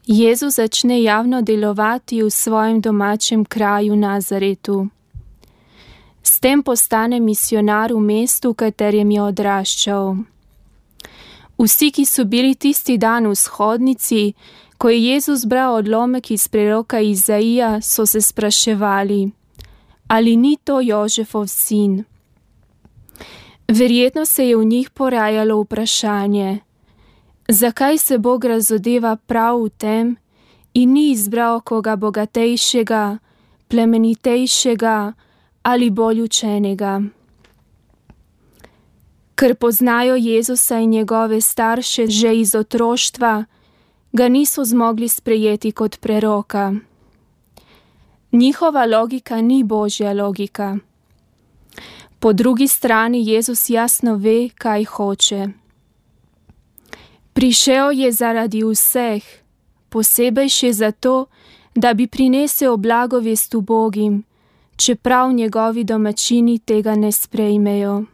Jezus začne javno delovati v svojem domačem kraju Nazaretu. S tem postane misionar v mestu, v katerem je odraščal. Vsi, ki so bili tisti dan v shodnici, ko je Jezus bral odlomek iz preroka Izaija, so se spraševali, ali ni to Jožefov sin. Verjetno se je v njih porajalo vprašanje, zakaj se Bog razodeva prav v tem in ni izbral koga bogatejšega, plemenitejšega ali bolj učenega. Ker poznajo Jezusa in njegove starše že iz otroštva, ga niso zmogli sprejeti kot preroka. Njihova logika ni Božja logika. Po drugi strani Jezus jasno ve, kaj hoče. Prišel je zaradi vseh, posebej še zato, da bi prinesel blagovest ubogim, čeprav njegovi domačini tega ne sprejmejo.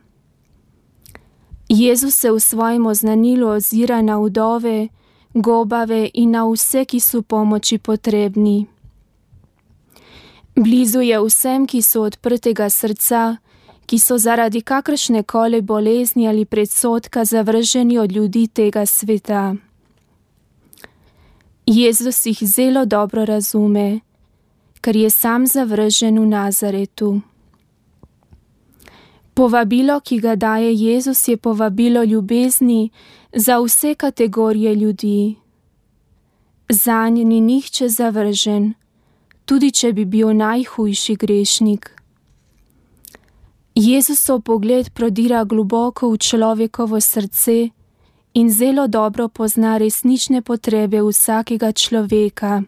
Jezus se v svojem oznanilu ozira na vdove, gobave in na vse, ki so pomoči potrebni. Blizu je vsem, ki so odprtega srca, ki so zaradi kakršne koli bolezni ali predsodka zavrženi od ljudi tega sveta. Jezus jih zelo dobro razume, ker je sam zavržen v Nazaretu. Povabilo, ki ga daje Jezus, je povabilo ljubezni za vse kategorije ljudi. Zanj ni nihče zavržen, tudi če bi bil najhujši grešnik. Jezusov pogled prodira globoko v človekovo srce in zelo dobro pozna resnične potrebe vsakega človeka.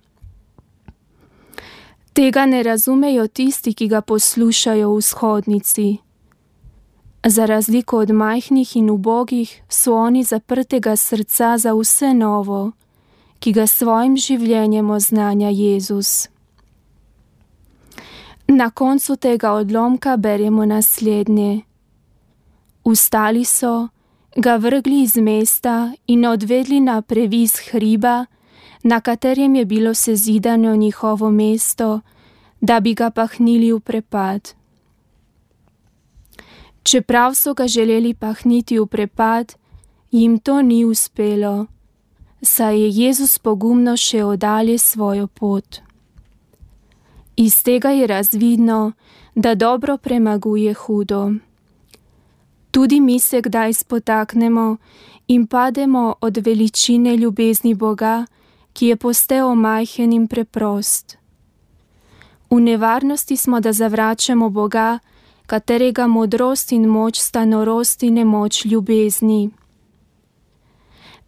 Tega ne razumejo tisti, ki ga poslušajo v shodnici. Za razliko od majhnih in ubogih so oni zaprtega srca za vse novo, ki ga svojim življenjem oznanja Jezus. Na koncu tega odlomka beremo naslednje. Vstali so, ga vrgli iz mesta in odvedli na previs hriba, na katerem je bilo sezidano njihovo mesto, da bi ga pahnili v prepad. Čeprav so ga želeli pahniti v prepad, jim to ni uspelo, saj je Jezus pogumno še odalje svojo pot. Iz tega je razvidno, da dobro premaguje hudo. Tudi mi se kdaj spotaknemo in pademo od veličine ljubezni Boga, ki je postal majhen in preprost. V nevarnosti smo, da zavračamo Boga, katerega modrost in moč sta norost in nemoč ljubezni.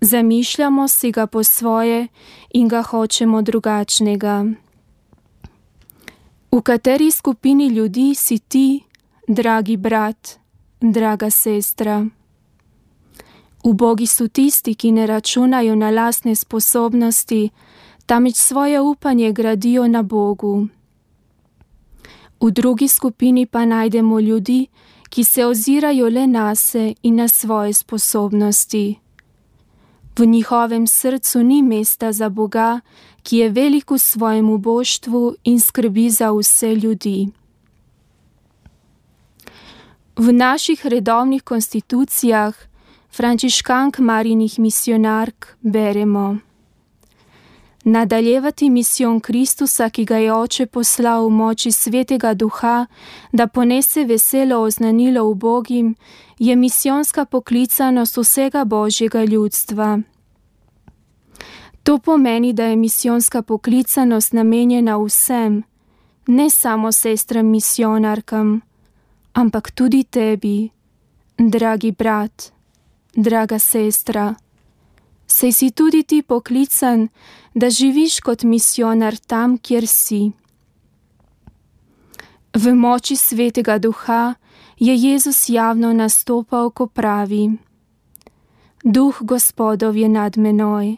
Zamišljamo si ga po svoje in ga hočemo drugačnega. V kateri skupini ljudi si ti, dragi brat, draga sestra? Ubogi so tisti, ki ne računajo na lastne sposobnosti, temveč svoje upanje gradijo na Bogu. V drugi skupini pa najdemo ljudi, ki se ozirajo le nase in na svoje sposobnosti. V njihovem srcu ni mesta za Boga, ki je velik v svojem uboštvu in skrbi za vse ljudi. V naših redovnih konstitucijah frančiškank Marijinih misionark beremo: nadaljevati misijon Kristusa, ki ga je Oče poslal v moči Svetega Duha, da ponese veselo oznanilo ubogim, je misijonska poklicanost vsega Božjega ljudstva. To pomeni, da je misijonska poklicanost namenjena vsem, ne samo sestram misionarkam, ampak tudi tebi, dragi brat, draga sestra. Saj si tudi ti poklican, da živiš kot misionar tam, kjer si. V moči Svetega Duha je Jezus javno nastopal, ko pravi: Duh Gospodov je nad menoj,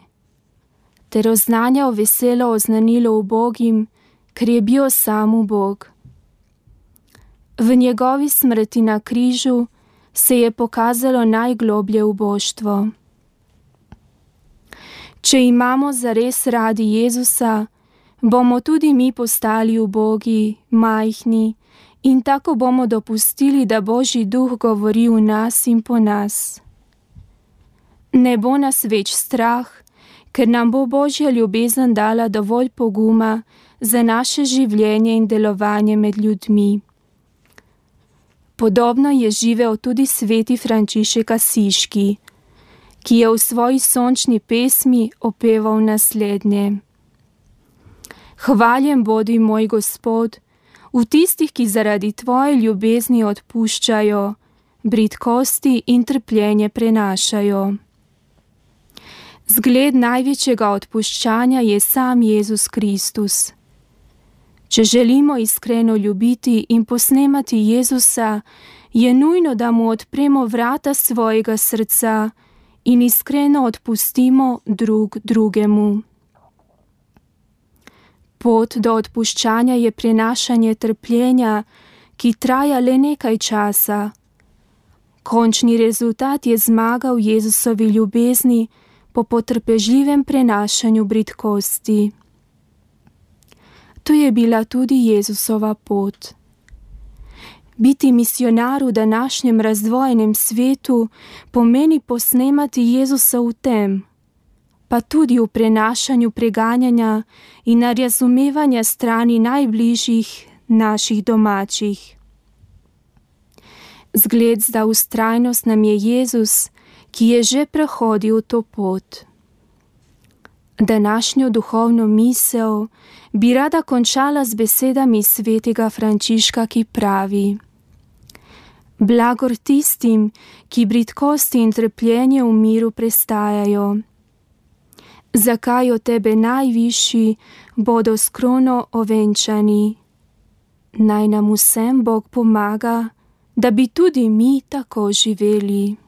ter oznanjal veselo oznanilo ubogim, ker je bil sam ubog. V njegovi smrti na križu se je pokazalo najgloblje uboštvo. Če imamo zares radi Jezusa, bomo tudi mi postali ubogi, majhni in tako bomo dopustili, da Božji duh govori v nas in po nas. Ne bo nas več strah, ker nam bo Božja ljubezen dala dovolj poguma za naše življenje in delovanje med ljudmi. Podobno je živel tudi sveti Frančišek Asiški, ki je v svoji sončni pesmi opeval naslednje. Hvaljen bodi moj Gospod v tistih, ki zaradi tvoje ljubezni odpuščajo, bridkosti in trpljenje prenašajo. Zgled največjega odpuščanja je sam Jezus Kristus. Če želimo iskreno ljubiti in posnemati Jezusa, je nujno, da mu odpremo vrata svojega srca in iskreno odpustimo drug drugemu. Pot do odpuščanja je prenašanje trpljenja, ki traja le nekaj časa. Končni rezultat je zmaga v Jezusovi ljubezni po potrpežljivem prenašanju bridkosti. To je bila tudi Jezusova pot. Biti misionar v današnjem razdvojenem svetu pomeni posnemati Jezusa v tem, pa tudi v prenašanju preganjanja in razumevanja strani najbližjih naših domačih. Zgled za vztrajnost nam je Jezus, ki je že prehodil to pot. Današnjo duhovno misel bi rada končala z besedami svetega Frančiška, ki pravi: Blagor tistim, ki bridkosti in trpljenje v miru prestajajo. Zakaj od tebe najvišji bodo s krono ovenčani? Naj nam vsem Bog pomaga, da bi tudi mi tako živeli.